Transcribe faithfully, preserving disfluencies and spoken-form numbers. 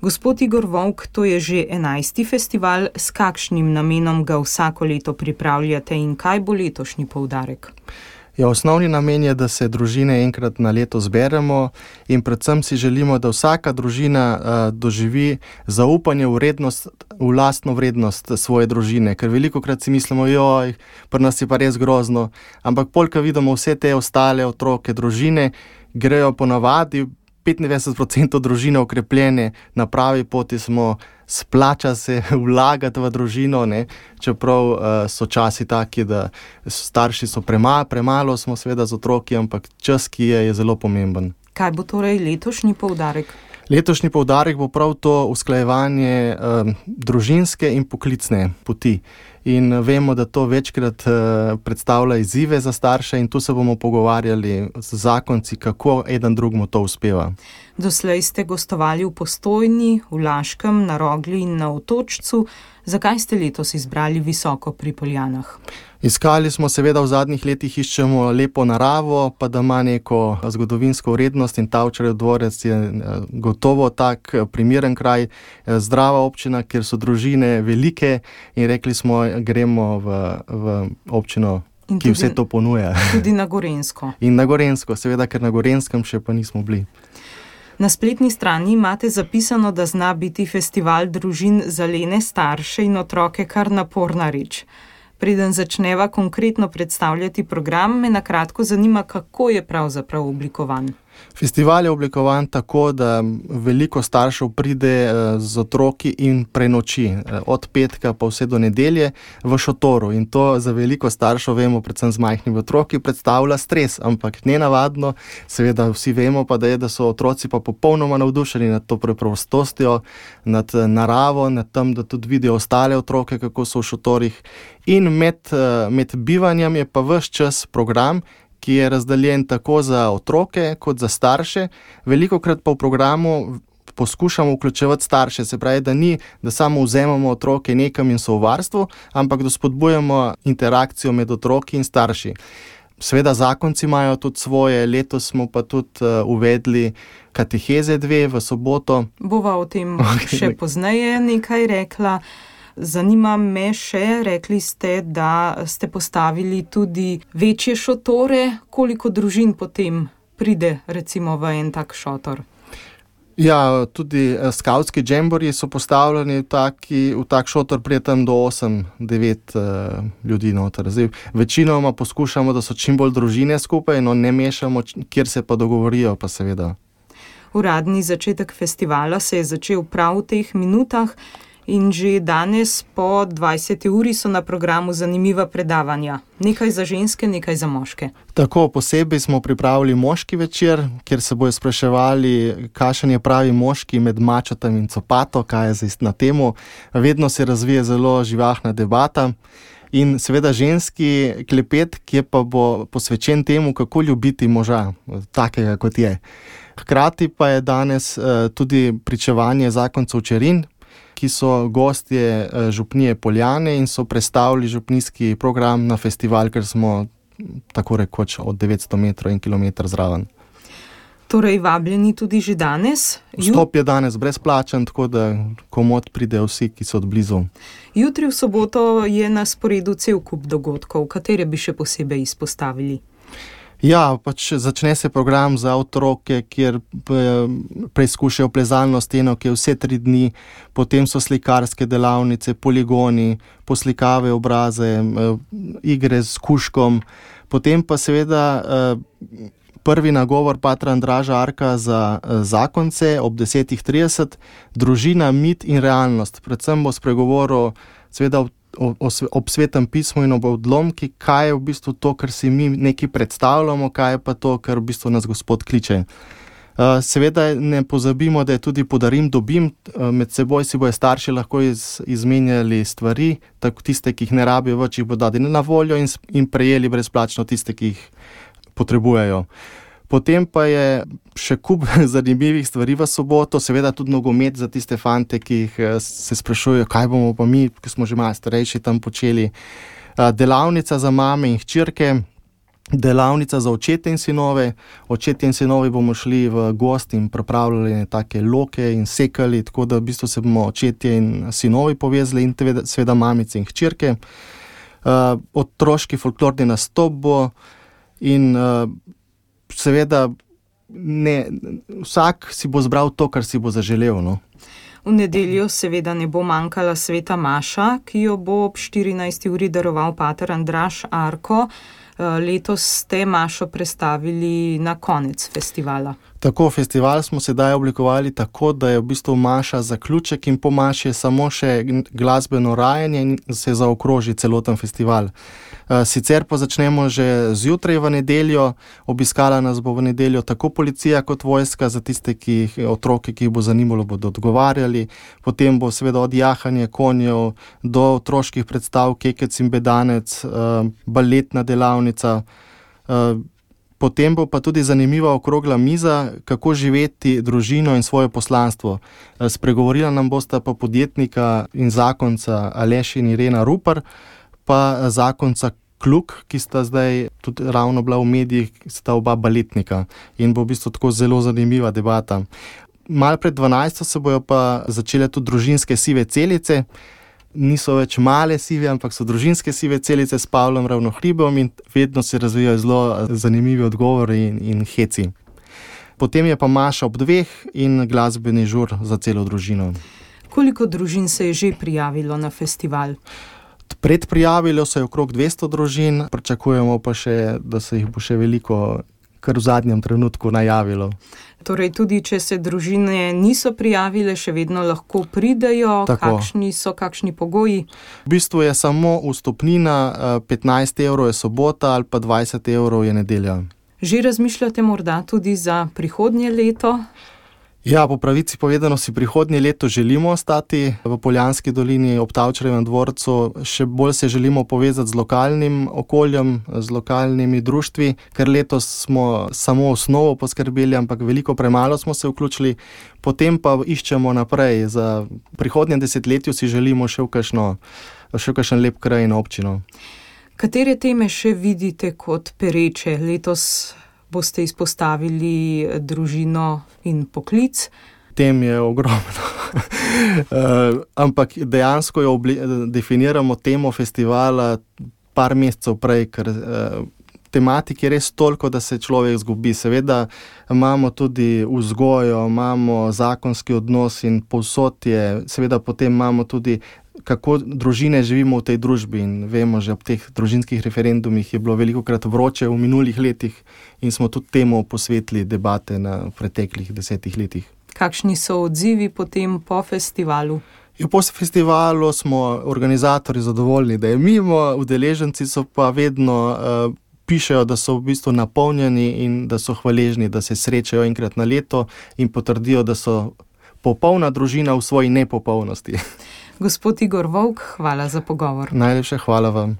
Gospod Igor Volk, to je že enajsti festival. S kakšnim namenom ga vsako leto pripravljate in kaj bo letošnji poudarek? Ja, osnovni namen je, da se družine enkrat na leto zberemo in predvsem si želimo, da vsaka družina uh, doživi zaupanje v vrednost, v lastno vrednost svoje družine, ker velikokrat si mislimo, joj, pri nas je pa res grozno, ampak polka vidimo vse te ostale otroke, družine, grejo ponavadi, petindevetdeset procentov družine okrepljene, na pravi poti smo, splača se vlagati v družino, ne? Čeprav uh, so časi taki, da starši so prema, premalo, smo seveda z otroki, ampak čas, ki je, je zelo pomemben. Kaj bo torej letošnji poudarek? Letošnji poudarek bo prav to usklajevanje uh, družinske in poklicne poti. In vemo, da to večkrat uh, predstavlja izzive za starše in tu se bomo pogovarjali z zakonci, kako eden drugmu to uspeva. Doslej ste gostovali v Postojni, v Laškem, na Rogli in na Otočcu. Zakaj ste letos izbrali Visoko pri Poljanah? Iskali smo seveda v zadnjih letih, iščemo lepo naravo, pa da ima neko zgodovinsko vrednost in Tavčarjev dvorec je gotovo tak primeren kraj, zdrava občina, kjer so družine velike in rekli smo, gremo v, v občino, in ki tudi, vse to ponuja. Tudi na Gorenjsko. In na Gorenjsko, seveda, ker na Gorenskem še pa nismo bili. Na spletni strani imate zapisano, da zna biti festival družin za lene starše in otroke kar naporna reč. Preden začneva konkretno predstavljati program, me na kratko zanima, kako je pravzaprav oblikovan. Festival je oblikovan tako, da veliko staršev pride z otroki in prenoči, od petka pa vse do nedelje v šotoru. In to za veliko staršev, vemo, predvsem z majhnimi otroki, predstavlja stres, ampak nenavadno, seveda vsi vemo pa, da je, da so otroci pa popolnoma navdušeni nad to preprostostjo, nad naravo, nad tem, da tudi vidijo ostale otroke, kako so v šotorih. In med, med bivanjem je pa ves čas program, ki je razdeljen tako za otroke kot za starše. Velikokrat pa v programu poskušamo vključevati starše, se pravi, da ni, da samo vzemamo otroke nekam in so v varstvu, ampak da spodbujamo interakcijo med otroki in starši. Seveda zakonci imajo tudi svoje, letos smo pa tudi uh, uvedli kateheze dve v soboto. Bova o tem še pozneje nekaj rekla. Zanima me še, rekli ste, da ste postavili tudi večje šotore. Koliko družin potem pride recimo v en tak šotor? Ja, tudi skavtski džembori so postavljeni v, taki, v tak šotor, prije tam do osem devet uh, ljudi noter. Zdaj, večinoma poskušamo, da so čim bolj družine skupaj, no ne mešamo, kjer se pa dogovorijo, pa seveda. Uradni začetek festivala se je začel prav v teh minutah. In že danes po dvajseti uri so na programu zanimiva predavanja. Nekaj za ženske, nekaj za moške. Tako, posebej smo pripravili moški večer, kjer se bojo spraševali, kakšen je pravi moški med mačatom in copato, kaj je zdaj na temu. Vedno se razvije zelo živahna debata. In seveda ženski klepet, ki pa bo posvečen temu, kako ljubiti moža, takega kot je. Hkrati pa je danes uh, tudi pričevanje zakoncev Čerin, ki so gostje župnije Poljane in so predstavili župnijski program na festival, ker smo tako rekoč od devetsto metrov in kilometer zraven. Torej vabljeni tudi že danes? Vstop je danes brezplačen, tako da komot pridejo vsi, ki so od blizu. Jutri v soboto je na sporedu cel kup dogodkov, katere bi še posebej izpostavili? Ja, pač začne se program za otroke, kjer preizkušajo plezalno steno, ki je vse tri dni, potem so slikarske delavnice, poligoni, poslikave obraze, igre s kužkom, potem pa seveda prvi nagovor patra Andraža Arka za zakonce ob desetih trideset, družina, mit in realnost. Predvsem bo spregovoril seveda O, o, ob svetem pismu in ob odlomki, kaj je v bistvu to, kar si mi nekaj predstavljamo, kaj je pa to, kar v bistvu nas Gospod kliče. Uh, seveda ne pozabimo, da je tudi podarim, dobim, uh, med seboj si bojo starši lahko iz, izmenjali stvari, tako tiste, ki jih ne rabijo več, jih bodo dali na voljo in, in prejeli brezplačno tiste, ki jih potrebujejo. Potem pa je še kup zanimivih stvari v soboto, seveda tudi nogomet za tiste fante, ki jih se sprašujejo, kaj bomo pa mi, ki smo že malo starejši, tam počeli. Delavnica za mame in hčerke, delavnica za očete in sinove. Očetje in sinovi bomo šli v gost in pripravljali take loke in sekali, tako da v bistvu se bomo očetje in sinovi povezali in seveda mamice in hčerke. Uh, otroški folklorni nastop bo in uh, seveda ne, vsak si bo zbral to, kar si bo zaželel. No. V nedeljo seveda ne bo manjkala sveta maša, ki jo bo ob štirinajsti uri daroval pater Andraž Arko. Letos ste mašo prestavili na konec festivala. Tako, festival smo sedaj oblikovali tako, da je v bistvu maša zaključek in po maši je samo še glasbeno rajanje in se zaokroži celoten festival. Sicer pa začnemo že zjutraj v nedeljo, obiskala nas bo v nedeljo tako policija kot vojska, za tiste ki, otroke, ki jih bo zanimalo, bodo odgovarjali. Potem bo seveda od jahanja konjev do otroških predstav, kekec in bedanec, baletna delavnica. Potem bo pa tudi zanimiva okrogla miza, kako živeti družino in svoje poslanstvo. Spregovorila nam bosta pa podjetnika in zakonca Aleš in Irena Rupar, pa zakonca Kluk, ki sta zdaj tudi ravno bila v medijih, sta oba baletnika in bo v bistvu tako zelo zanimiva debata. Mal pred dvanajsto se bojo pa začele tudi družinske sive celice. Niso več male sive, ampak so družinske sive celice s Pavlom Ravnohribom in vedno se razvijajo zelo zanimivi odgovori in, in heci. Potem je pa maša ob dveh in glasbeni žur za celo družino. Koliko družin se je že prijavilo na festival? Predprijavilo se je okrog dvesto družin, pričakujemo pa še, da se jih bo še veliko kar v zadnjem trenutku najavilo. Torej tudi, če se družine niso prijavile, še vedno lahko pridejo. Tako. Kakšni so, kakšni pogoji? V bistvu je samo vstopnina, petnajst evrov je sobota ali pa dvajset evrov je nedelja. Že razmišljate morda tudi za prihodnje leto? Ja, po pravici povedano si prihodnje leto želimo ostati v Poljanski dolini ob Tavčarjevem dvorcu. Še bolj se želimo povezati z lokalnim okoljem, z lokalnimi društvi, ker letos smo samo osnovo poskrbeli, ampak veliko premalo smo se vključili. Potem pa iščemo naprej. Za prihodnje desetletju si želimo še v kakšno, še v kakšen lep kraj in občino. Katere teme še vidite kot pereče? Letos boste izpostavili družino in poklic. Tem je ogromno. uh, ampak dejansko jo obli- definiramo temo festivala par mesecev prej, ker uh, tematik je res toliko, da se človek zgubi. Seveda imamo tudi vzgojo, imamo zakonski odnos in povsod je, seveda potem imamo tudi kako družine živimo v tej družbi in vemo, že ob teh družinskih referendumih je bilo velikokrat vroče v minulih letih in smo tudi temu posvetili debate na preteklih desetih letih. Kakšni so odzivi potem po festivalu? Ja, po festivalu smo organizatorji zadovoljni, da je mimo, udeleženci so pa vedno uh, pišejo, da so v bistvu napolnjeni in da so hvaležni, da se srečajo enkrat na leto in potrdijo, da so popolna družina v svoji nepopolnosti. Gospod Igor Volk, hvala za pogovor. Najlepša hvala vam.